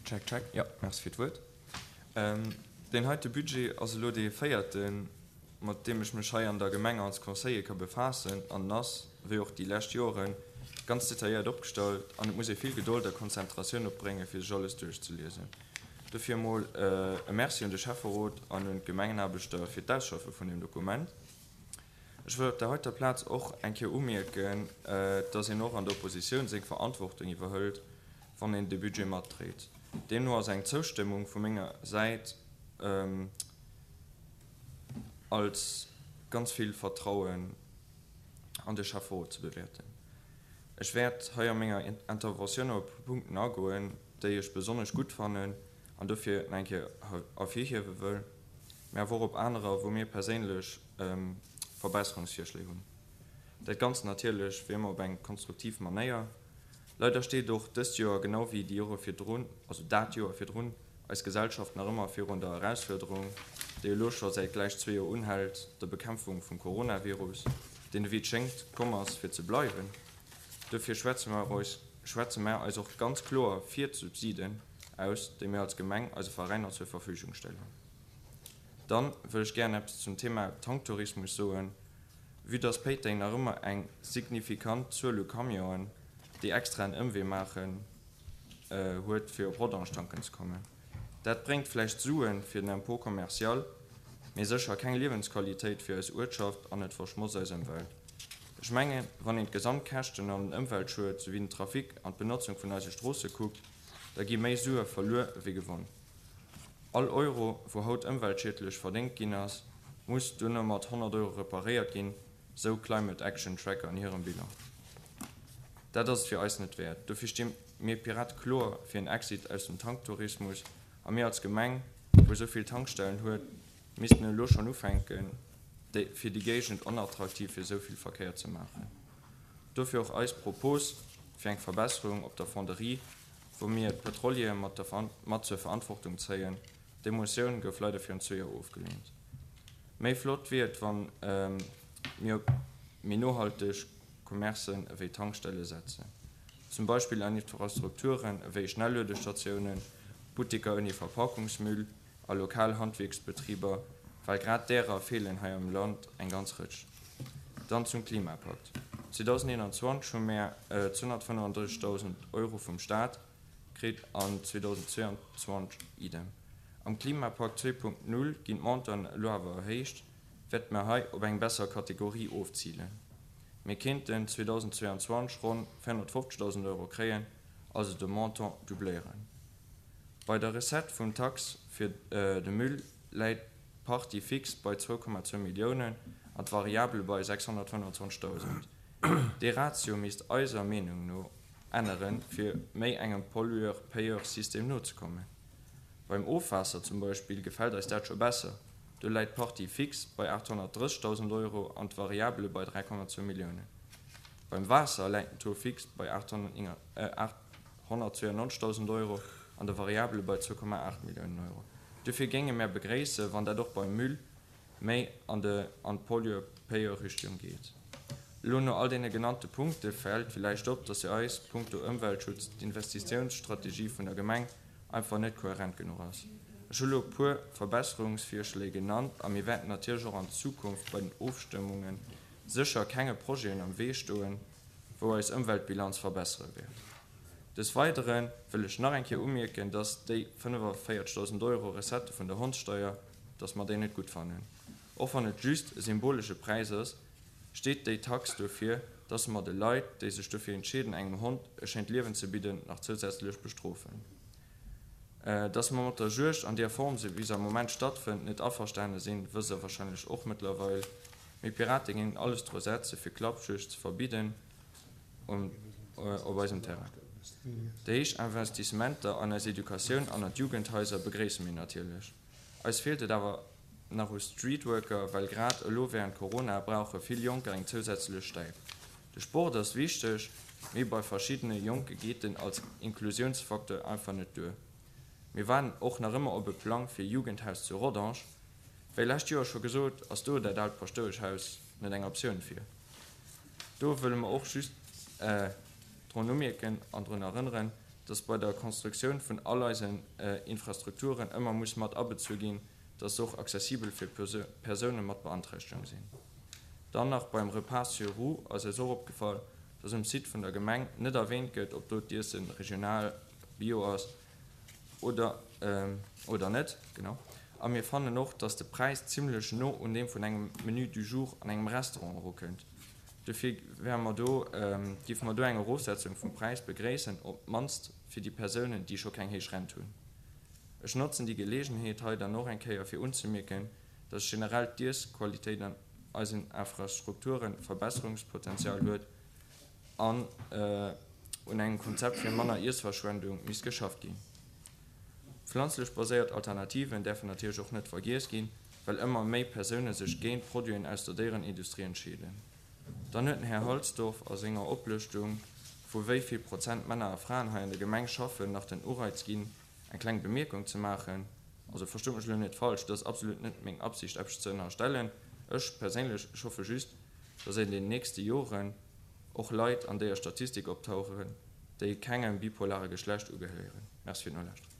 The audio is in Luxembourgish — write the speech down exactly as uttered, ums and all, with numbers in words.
Check, check. Jo, merci fir d'Wuert. Deen heite Budget ass elo dee véierten, mat deem ech mech hei an der Gemeng als Conseiller ka befaassen, an en ass, wéi och déi lescht Joren, ganz detailléiert opgestallt an et muss ee vill Gedold a Konzentratioun opbréngen, fir sech alles duerchzeliesen. Dofir emol e Merci un de Schäfferot an un d'Gemengenaarbechter fir d'Ausschaffe vun deem Dokument. Ech wëll op der heiter Plaz och eng Kéier umierken, dass een och an der Oppositioun seng Verantwortung iwwerhëlt, wann een de Budget matdréit. Deemno ass eng Zoustëmmung vu menger Säit als ganz vill Vertrauen an de Schäfferot ze bewäerten. Ech wäert hei a menger Interventioun op e puer Punkten agoen, déi ech besonnesch gutt fannen an dofir nach eng Kéier ervirhiewe wëll, mä awer och op anerer, wou mir perséinlech Verbesserungsvirschléi hunn. Dat Ganzt natierlech wéi ëmmer op eng konstruktiv Manéier. Leider steet och dëst Joer, genau wéi déi Jore virdrun, also dat Joer virdrun, eis Gesellschaft nach ëmmer virun der Erausfuerderung, déi elo scho säit gläich zwee Joer unhält, der Bekämpfung vum Coronavirus, deen ewéi et schéngt komm ass fir ze bleiwen. Dofir schwätze mer eis schwätze mer eis och ganz kloer fir d'Subsiden aus, déi mir als Gemeng eise Veräiner zur Verfügung stellen. Dann wëll ech gären eppes zum Thema Tanktourismus soen. Vue dass Péiteng nach ëmmer eng signifikant Zuel u Camionen, déi extra en Ëmwee maachen, huet fir op Rodange tanken ze kommen. Dat bréngt vläicht Suen fir den Impôt commercial, mee sécher keng Liewensqualitéit fir eis Uertschaft an et verschmotzt eis Ëmwelt. Ech mengen, wann een d'Gesamtkäschten an den Ëmweltschued souwéi den Trafic an d'Benotzung vun eise Stroosse kuckt, da gi méi Sue verluer ewéi gewonn. All Euro, wou haut ëmweltschiedlech verdéngt ginn ass, muss duerno mat honnert Euro reparéiert ginn, sou Climate Action Tracker an hirem Bilan. Dat ass et fir eis net wäert. Dofir sti mir Pirate kloer fir en Exit aus dem Tanktourismus a mir als Gemeng, wou esou vill Tankstellen huet, missten elo schonn ufänken, fir déi Géigend onattraktiv fir esou vill Verkéier ze maachen. Dofir och eis Propos fir eng Verbesserung op der Fonderie, wou mir d'Petroliere mat der mat zur Verantwortung zéien. Déi Motioun gouf leider virun zwee Joer ofgeleent. Méi flott wier et, wann mir op méi nohalteg Commercen ewéi Tankstelle setzen. Zum Beispill an Infrastrukturen ewéi Schnelluedestatiounen, Butteker ouni Verpakungsmüll a lokal Handwierksbetriber, well grad därer feelen hei am Land eng ganz Rëtsch. Dann zum Klimapakt. zweedausendeenanzwanzeg hu mär zweehonnertfënnefandrëssegdausend Euro vum Staat kritt an zweedausendzweeanzwanzeg idem. Am Klimapakt zwee Punkt null ginn d'Montanten elo awer erhéicht, wäerte mer hei op eng besser Kategorie ofzilen. Mir kéinten zweedausendzweeanzwanzeg ronn véierhonnertfofzegdausend Euro kréien, also de Montant doubléieren. Bei der Recette vum Tax fir de Müll läit d'Partie fixe bei zwou Komma zwou Milliounen an d'Variable bei sechshonnertfënnwanzwanzegdausend. Dee Ratio misst eiser Meenung no änneren, fir méi engem Pollueur-Payeur-System nozekommen. Beim Ofwaasser zum Beispill gefält eis dat scho besser, do läit d'Partie fixe bei aathonnertdrëssegdausend Euro an d'Variable bei dräi Komma zwou Milliounen. Beim Waasser läit den Taux fixe bei aathonnertzweiannonzegdausend Euro an de Variable bei zwou Komma aacht Milliounen Euro. Dofir géinge mär begréissen, wann dat och beim Müll méi an de an d'Pollueur-Payeur-Richtung geet. Elo no all deene genannte Punkte fält villäicht op, dass fir eis punkto Ëmweltschutz d'Investitiounsstrategie vun der Gemeng einfach net kohärent genuch ass. Ech hu lo e puer Verbesserungsvirschléi genannt a mir wäerten natierlech och an Zukunft bei den Ofstëmmunge sécher kenge Projeten am Wee stoen, wou eis Ëmweltbilanz verbessere wäert. Des Weidere wëll ech nach eng Kéier umierken, dass déi fënnefavéierzegdausend Euro Recettë vun der Hondssteier, dass mer déi net gutt fannen. Och wann et just e symbolesche Präis ass, steet déi Tax dofir, dass mer de Leit, déi sech dofir entscheeden, engem Hond e schéint Liewen ze bidden, nach zousätzlech bestrofen. Dass mer mat der Juegd an deer Form, sou wéi se am Moment stattfënnt, net averstane sinn, wësst Der wahrscheinlech och mëttlerweil. Mir Pirate géingen alles dru setze fir Klappjuegd ze verbidden op eisem Terrain. Déi héich Investissementer an eis Educatioun an an d'Jugendhaiser begréisse mir natierlech. Eis feelt et awer nach u Streetworker, well grad elo wärend Corona brauche vill Jonker eng zousätzlech Stäip. De Sport ass wichteg, mee bei verschiddene Jonke geet en als Inklusiounsfacteur einfach net duer. Mir waarden och nach ëmmer op e Plang fir e Jugendhaus zu Rodange. Wéi lescht Joer scho gesot, ass do dat aalt Paschtoueschhaus net eng Optioun fir. Do wëlle mer och just drun umierken an drun erënneren, dass bei der Konstruktioun vun all eisen Infrastrukturen ëmmer muss mat abezu ginn, dass se och accessibel fir Persoune mat Beanträchtegung sinn. Dann nach beim Repas sur roues ass eis och opgefall, dass um Site vun der Gemeng net erwähnt gëtt, ob do d'Iesse regional, bio ass oder oder net. Genau. A mir fannen och, dass de Präis zimlech no un deem vun engem Menu du jour an engem Restaurant erukënnt. Dofir wäre mer do, géife mer do eng Erofsetzung vum Präis begréissen, op d'mannst fir déi Persounen, déi scho keng héich Rent hunn. Ech notzen déi Geleegenheet hei dann och eng Kéier fir unzemierken, dass generell d'Iessqualitéit an eisen Infrastrukture Verbesserungspotenzial huet an un engem Konzept fir manner Iessverschwendung misst geschafft ginn. Pflanzlech baséiert Alternativen däerfen natierlech och net vergiess ginn, well ëmmer méi Persoune sech géint Produiten aus der Déierenindustrie entscheeden. Dann huet den Här Halsdorf a senger Oplëschtung vu wéi vill Prozent Männer a Fraen hei an der Gemeng schaffen nach den Ureiz ginn, eng kleng Bemierkung ze maachen. Also verstoot mech elo net falsch, et ass absolut net meng Absicht eppes ze ënnerstellen. Ech perséinlech, ech hoffe just, dass an den nächste Joren och Leit an déier Statistik optauchen, déi kengem bipolare Geschlecht ugehéieren. Merci fir d'Nolauschteren.